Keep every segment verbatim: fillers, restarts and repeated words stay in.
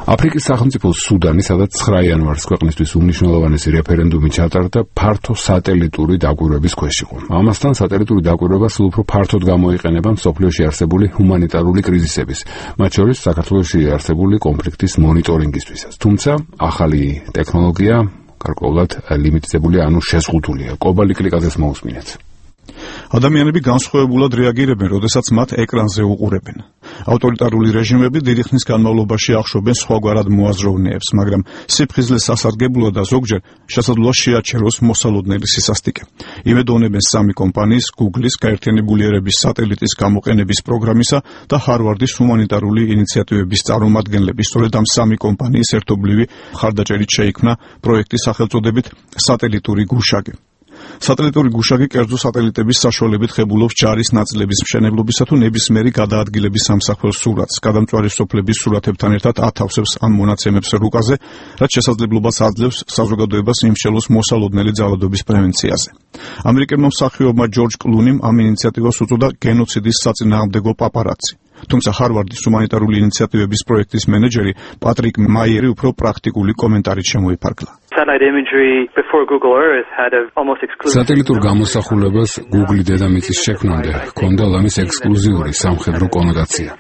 აფრიკის სახელმწიფო სუდანი, სადაც ცხრა იანვარს ქვეყნისთვის უმნიშვნელოვანესი რეფერენდუმი ჩატარდა, ფართო სატელიტური დაკვირვების ქვეშ იყო. ამასთან სატელიტური დაკვირვება სულ უფრო ფართოდ გამოიყენება მსოფლიოში არსებული ჰუმანიტარული კრიზისების, მათ შორის საქართველოში არსებული კონფლიქტის მონიტორინგისთვისაც. თუმცა ახალი ტექნოლოგია გარკვეულად ლიმიტირებული, ანუ შეზღუდულია. კობალი კლიკაძეს მოусმინეთ. ადამიანები განსხვავებულად რეაგირებენ, როდესაც მათ ეკრანზე უყურებენ. ავტორიტარული რეჟიმები დიდი ხნის განმავლობაში ახშობენ სხვაგვარად მოაზროვნეებს, მაგრამ სიფხიზლეს სასარგებლო და ზოგჯერ შესაძლოა შეაჩეროს მოსალოდნელი სისასტიკე. იმედოვნებენ სამი კომპანიის, Google-ის, გაერთიანებული ერების სატელიტის გამოყენების პროგრამისა და ჰარვარდის ჰუმანიტარული ინიციატივების წარმომადგენლები. სწორედ ამ სამი კომპანიის ერთობლივი მხარდაჭერით შეიქმნა პროექტის სახელწოდებით სატელიტური გუშაგი. სატელიტური გუშაგი კერძო სატელიტების საშუალებით ხებულობს ჯარის ნაწილების მშენებლობისა თუ ნებისმიერი გადაადგილების სამსახურ სურათს, გადამწვარი სოფლების სურათებთან ერთად ათავსებს ამ მონაცემებს რუკაზე, რაც შესაძლებლობას აძლევს საზოგადოებას იმსჯელოს მოსალოდნელი ძალადობის პრევენციაზე. ამერიკელმა მსახიობმა ჯორჯ კლუნიმ ამ ინიციატივას უწოდა გენოციდის საწინააღმდეგო პაპარაცი. თუმცა ჰარვარდის ჰუმანიტარული ინიციატივების პროექტის მენეჯერი პატრიკ მაიერი უფრო პრაქტიკული კომენტარით შემოიფარგლა. სატელიტურ გამოსახულებას Google დედამიწის შექმნამდე ჰქონდა ლამის ექსკლუზიური სამხედრო კონოტაცია.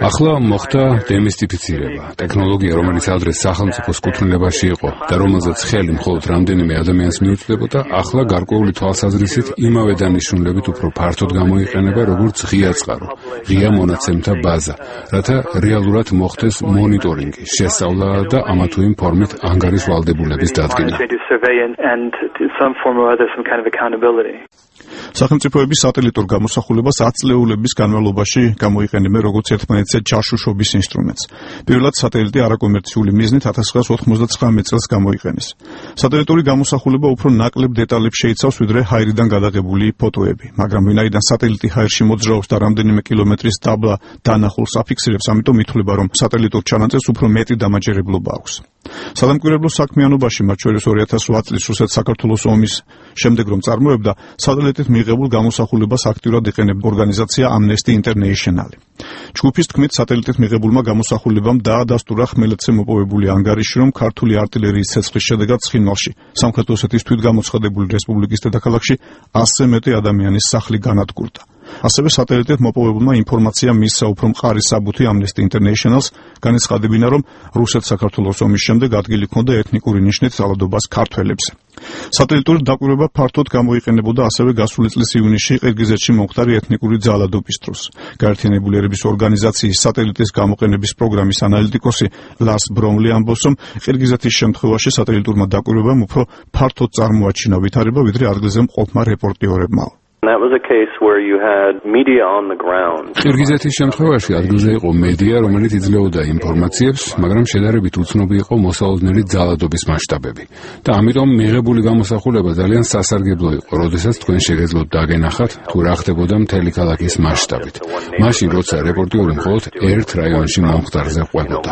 ახლა მოხდა დემისტიფიცირება. ტექნოლოგია, რომელიც ადრე სახელმწიფოს კუთვნილებაში იყო და რომელზეც ხელი მხოლოდ რამდენიმე ადამიანს მიუწვდებოდა, ახლა გარკვეული თვალსაზრისით იმავე დანიშნულებით უფრო ფართოდ გამოიყენება, როგორც ღია წყარო, ღია მონაცემთა ბაზა, რათა რეალურად მოხდეს მონიტორინგი, შესწავლა და ამა თუ იმ ფორმით ანგარიშვალდებულების დადგენა. სახელმწიფოების სატელიტურ გამოსახულებას ათი წლეულების განმავლობაში გამოიყენებენ როგორც ერთმანეთზე ჯაშუშობის ინსტრუმენტს. პირველად სატელიტი არაკომერციული მიზნით ათას ცხრაას ოთხმოცდათხრამეტ წელს გამოიყენეს. სატელიტური გამოსახულება უფრო ნაკლებ დეტალებს შეიცავს, ვიდრე ჰაერიდან გადაღებული ფოტოები, მაგრამ ვინაიდან სატელიტი ჰაერში მოძრაობს და რამდენიმე კილომეტრის დაბლა დანახულს აფიქსირებს, ამიტომ ითვლება, რომ სატელიტურ ჩანაწერს უფრო მეტი დამაჯერებლობა აქვს. სადამკვირვებლო საქმიანობაში, მათ შორის ორი ათას ოთხ წლის რუსეთ-საქართველოს ომის შემდეგ რომ წარმოებდა, სატელიტით მიღებულ გამოსახულებას აქტიურად იყენებდა ორგანიზაცია Amnesty International. ჯგუფის თქმით, სატელიტით მიღებულმა გამოსახულებამ დაადასტურა ხმელეთზე მოპოვებული ანგარიში, რომ ქართული არტილერიის ცეცხლის შედეგად ცხინვალში, სამხრეთ ოსეთის თვითგამოცხადებული რესპუბლიკის დედაქალაქში ასზე მეტი ადამიანის სახლი განადგურდა. ასევე სატელიტით მოპოვებულმა ინფორმაციამ მისცა უფრო მყარი საბუთი Amnesty International-ს, განეცხადებინა, რომ რუსეთ-საქართველოს ომის შემდეგ ადგილი ჰქონდა ეთნიკური ნიშნით ძალადობას ქართველებზე. სატელიტური დაკვირვება ფართოდ გამოიყენებოდა ასევე გასული წლის ივნისში ყირგიზეთში მომხდარი ეთნიკური ძალადობის დროს. გაერთიანებული ერების ორგანიზაციის სატელიტის გამოყენების პროგრამის ანალიტიკოსი ლას ბრომლი ამბობს, რომ ყირგიზეთის შემთხვევაში სატელიტურმა დაკვირვებამ უფრო ფართოდ წარმოაჩინა ვითარება, ვიდრე ადგილზე მყოფმა რეპორტიორებმა. ყირგიზეთის შემთხვევაში ადგილზე იყო მედია, რომელიც იძლეოდა ინფორმაციებს, მაგრამ შედარებით უცნობი იყო მოსალოდნელი ძალადობის მასშტაბები. და ამიტომ მიღებული გამოსახულება ძალიან სასარგებლო იყო, როდესაც თქვენ შეგეძლოთ დაგენახათ, თუ რა ხდებოდა მთელი ქალაქის მასშტაბით. მაშინ, როცა რეპორტიორი მხოლოდ ერთ რაიონში მომხდარზე ყვებოდა.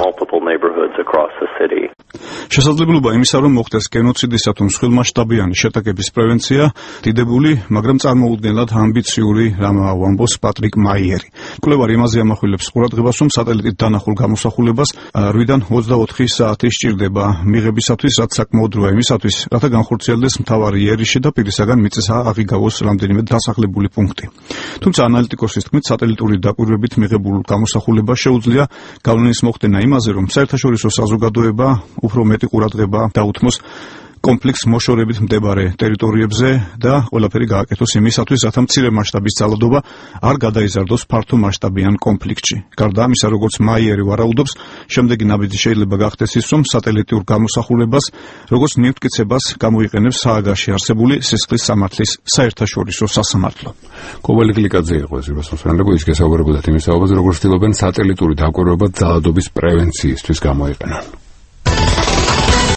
შესაძლებლობა იმისა, რომ მოხდეს გენოციდისა თუ მსხვილმასშტაბიანი შეტაკების პრევენცია, დიდებული, მაგრამ წარმოუდგენლად ამბიციური რამაა, ამბობს პატრიკ მაიერი. კვლევარი იმაზე ამახვილებს ყურადღებას, რომ სატელიტით დანახულ გამოსახულებას რვიდან ოცდაოთხი საათი სჭირდება მიღებისათვის, რაც საკმაოდ დროა იმისათვის, რათა განხორციელდეს მთავარი იერიში და პირისაგან მიწისა აღიგავოს რამდენიმე დასახლებული პუნქტი. თუმცა ანალიტიკოსის თქმით, სატელიტური დაკვირვებით მიღებულ გამოსახულებას შეუძლია გავლენის მოხდენა იმაზე, რომ საერთაშორისო საზოგადოება უფრო მეტი ყურადღება დაუთმოს კონფლიქტს მოშორებით მდებარე ტერიტორიებზე და ყველაფერი გააკეთოს იმისათვის, რათა მცირე მასშტაბის ძალადობა არ გადაიზარდოს ფართო მასშტაბიან კონფლიქტში. გარდა ამისა, როგორც მაიერი ვარაუდობს, შემდეგი ნაბიჯი შეიძლება გახდეს ის, რომ სატელიტურ გამოსახულებას, როგორც მიუთკიცებას გამოიყენებს სააგაში არსებული სისხლის სამართლის საერთაშორისო სასამართლო. კობალი კლიკაძე იყო ეს რუსოსფრენდები, ის გესაუბრებოდათ იმის საუბარზე, როგორც ცდილობენ სატელიტური დაკვირვება ძალადობის პრევენციისთვის გამოიყენონ.